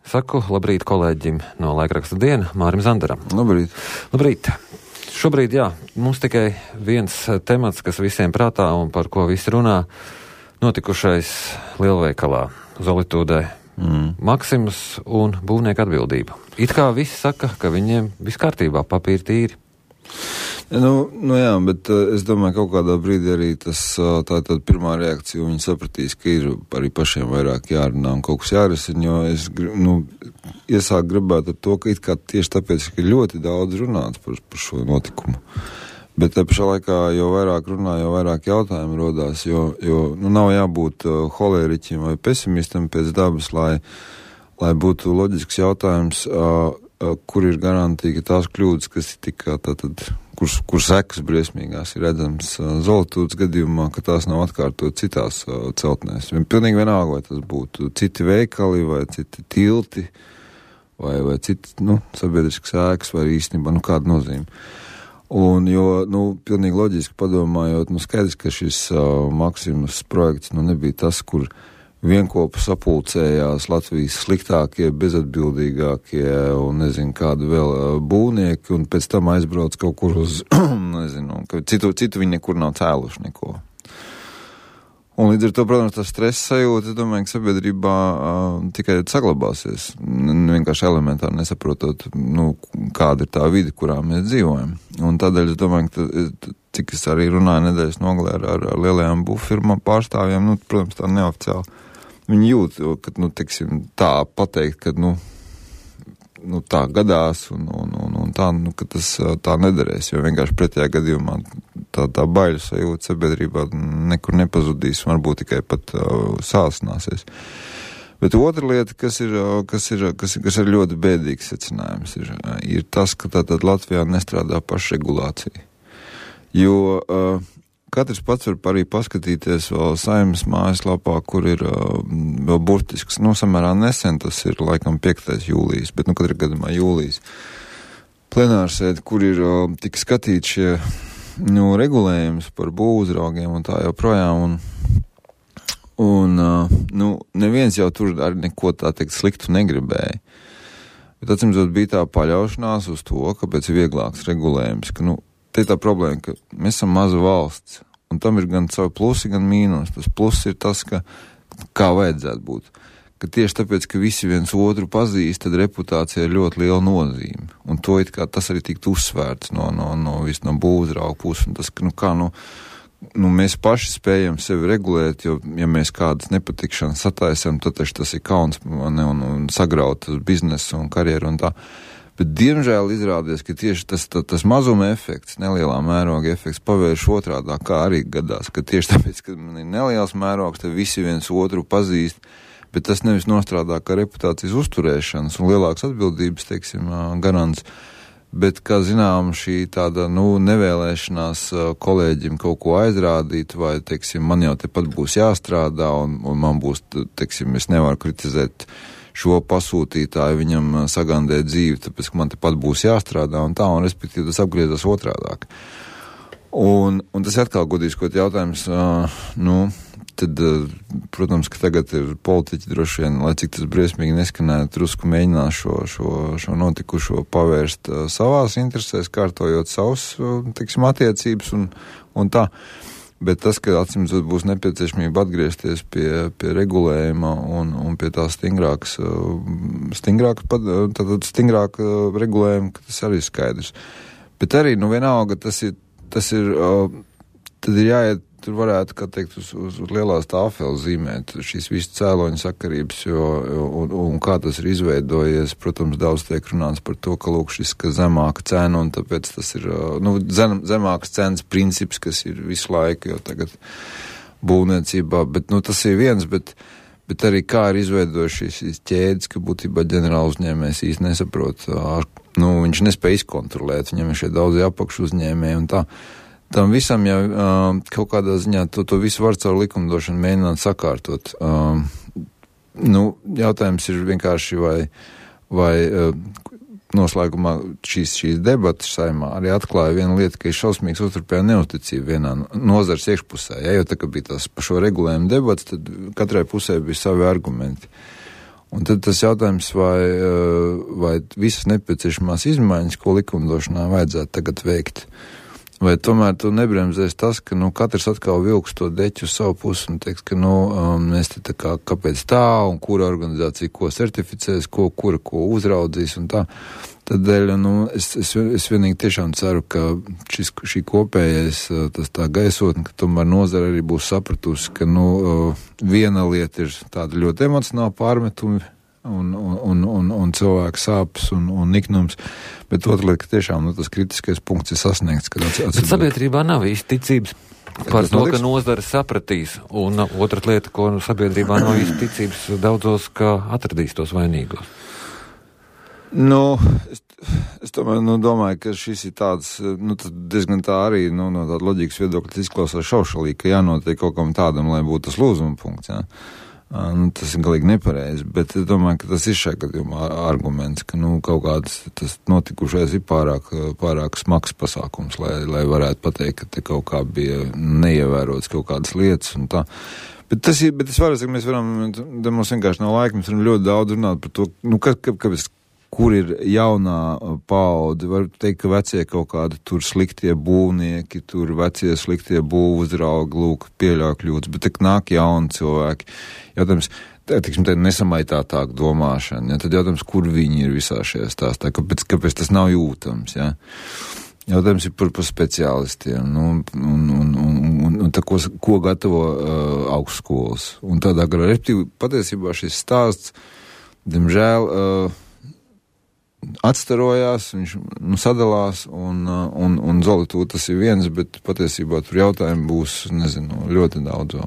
Saku labrīt kolēģim no laikraksta Diena, Mārim Zandaram. Labrīt. Labrīt. Šobrīd, mums tikai viens temats, kas visiem prātā un par ko visi runā, notikušais lielveikalā Zolitūdē. Maksimus un būvnieku atbildība. It kā visi saka, ka viņiem viss kārtībā, papīri tīri. Jā, bet es domāju, kaut kādā brīdī arī tā pirmā reakcija, viņi sapratīs, ka ir arī pašiem vairāk jārunā un kaut kas jārisina, jo es iesāku gribēt ar to, ka it kā tieši tāpēc, ka ļoti daudz runāts par šo notikumu. Bet te pašā laikā, jo vairāk runā, jo vairāk jautājumu rodās, jo nav jābūt holēriķim vai pesimistam pēc dabas, lai būtu loģisks jautājums, kur ir garantīga tās kļūdas, kas ir tikā kur sekas briesmīgās ir redzams Zolitūdes gadījumā, ka tās nav atkārtot citās celtnēs. Pilnīgi vienalga, vai tas būtu citi veikali, vai citi tilti, vai citi, sabiedriskas ēkas, vai īstenībā, kāda nozīme. Un, pilnīgi loģiski padomājot, skaidrs, ka šis Maksimus projekts, nebija tas, kur vienkopu sapulcējās Latvijas sliktākie, bezatbildīgākie un nezinu kādu vēl būvnieki, un pēc tam aizbrauc kaut kur uz, ka citu viņi nekur nav cēluši neko. Un līdz ar to, protams, tas stress sajūta, es domāju, ka sabiedrībā tikai saglabāsies, vienkārši elementāri nesaprotot, kāda ir tā vide, kurā mēs dzīvojam. Un tādēļ es domāju, ka cik es arī runāju nedēļas nogalē ar lielajām būvfirmām pārstāvjiem, protams, tā neoficiāli. Viņi jūt, ka, tā pateikt, ka, tā gadās un tā, ka tas tā nederēs, jo vienkārši pretējā gadījumā tā baiļu sajūta sabiedrībā nekur nepazudīs, varbūt tikai pat sāsināsies. Bet otra lieta, kas ir ļoti bēdīgs secinājums, ir tas, ka tātad Latvijā nestrādā pašregulācija. Jo katrs pats var arī paskatīties vēl Saeimas mājaslapā, kur ir vēl burtisks, samērā nesen, tas ir laikam 5. jūlijas, bet katrā gadījumā jūlijas plenārsēde, kur ir tik skatīt šie regulējums par būvuzraugiem un tā joprojām, un neviens jau tur arī neko tā teikt sliktu negribēja. Bet atcīmredzot bija tā paļaušanās uz to, ka pēc vieglāks regulējums, ka te ir tā problēma, ka mēs esam maza valsts, un tam ir gan savi plusi, gan mīnus. Tas pluss ir tas, ka kā vajadzētu būt. Ka tieši tāpēc, ka visi viens otru pazīst, tad reputācija ir ļoti liela nozīme. Un to tas arī tikt uzsvērts no būvuzrauga puses. Un tas, ka mēs paši spējam sevi regulēt, jo, ja mēs kādas nepatikšanas sataisam, tad tas ir kauns un sagraut biznesu un karjeru un tā. Bet, diemžēl, izrādies, ka tieši tas mazuma efekts, nelielā mēroga efekts pavērš otrādā, kā arī gadās, ka tieši tāpēc, ka man ir neliels mērogs, tad visi viens otru pazīst, bet tas nevis nostrādā kā reputācijas uzturēšanas un lielākas atbildības, garants, bet, kā zinām, šī tāda, nevēlēšanās kolēģim kaut ko aizrādīt, vai, man jau tepat būs jāstrādā, un man būs, es nevaru kritizēt šo pasūtītāju, viņam sagandē dzīvi, tāpēc, ka man tepat būs jāstrādā un tā, un respektīvi tas apgriezās otrādāk. Un tas atkal godīskot jautājums, tad, protams, ka tagad ir politiķi droši vien, lai cik tas briesmīgi neskanētu, drusku mēģinās šo notikušo pavērst savās interesēs, kārtojot savus, attiecības un tā. Bet tas, ka atcīmredzot būs nepieciešamība atgriezties pie regulējuma un pie tā stingrāka regulējuma, ka tas arī skaidrs. Bet arī, vienalga, tas ir, tad ir jāiet, tur varētu, kā teikt, uz lielās tāfeles zīmēt šīs visas cēloņu sakarības, un kā tas ir izveidojies. Protams, daudz tiek runāts par to, ka lūk šis, ka zemāka cena, un tāpēc tas ir, zemākas cenas princips, kas ir visu laiku, jo tagad būvniecībā, bet, tas ir viens, bet arī kā ir izveidojuši šīs ķēdes, ka būtībā ģenerāla uzņēmējs īsti nesaprot, viņš nespēja izkontrolēt, viņam ir šie daudzi apakšu uzņēmēji un tā. Tam visam jau kaut kādā ziņā to visu var caur likumdošanu mēģināt sakārtot. Jautājums ir vienkārši vai noslēgumā šīs debatas Saeimā arī atklāja vienu lietu, ka ir šausmīgs uzturpējā neusticība vienā nozars iekšpusē. Jo tā, ka bija tās par šo regulējumu debatas, tad katrai pusē bija savi argumenti. Un tad tas jautājums, vai visas nepieciešamās izmaiņas, ko likumdošanā vajadzētu tagad veikt, vai tomēr tu nebremzēs tas, ka, katrs atkal vilks to deķu uz savu pusi un teiks, ka, mēs te kāpēc tā, un kura organizācija ko certificēs, kura ko uzraudzīs un tā. Tādēļ, es vienīgi tiešām ceru, ka šī kopējais, tas tā gaisotne, ka tomēr nozara arī būs sapratusi, ka, viena lieta ir tāda ļoti emocionāla pārmetumi un cilvēku sāpes un niknums, bet otra lieta, ka tiešām tas kritiskais punkts ir sasniegts. Bet sabiedrībā nav īsti ticības par to, ka nozara sapratīs, un otra lieta, ko sabiedrībā nav īsti ticības daudzos, ka atradīs tos vainīgos. Es tomēr domāju, ka šis ir tāds, diezgan tā arī, no tāda loģikas viedokļa izklausās šaušalīgi, ka jānotiek kaut kam tādam, lai būtu tas lūzuma punkts, jā. Tas ir galīgi nepareizi, bet es domāju, ka tas ir šajā gadījumā arguments, ka, kaut kāds tas notikušais ir pārāk smags pasākums, lai varētu pateikt, ka te kaut kā bija neievērots kaut kādas lietas un tā. Bet es varu, ka mēs varam, mums vienkārši nav laika, mēs varam ļoti daudz runāt par to, kāpēc kur ir jaunā paudze, var teikt, ka vecie kaut kādi tur sliktie būvnieki, tur vecie sliktie būvuzraugi, pieļauj kļūdas, bet tak nāk jauni cilvēki. Jautājums, nesamaitātāk domāšana, ja? Tad jautājums, kur viņi ir visā šajā stāstā, kāpēc tas nav jūtams, ja? Jautājums ir par speciālistiem, un tā, ko gatavo augstskolas. Un tādā garā, patiesībā šis stāsts, diemžēl, atstarojās, viņš sadalās, un Zolitūda tas ir viens, bet patiesībā tur jautājumi būs, ļoti daudz vēl.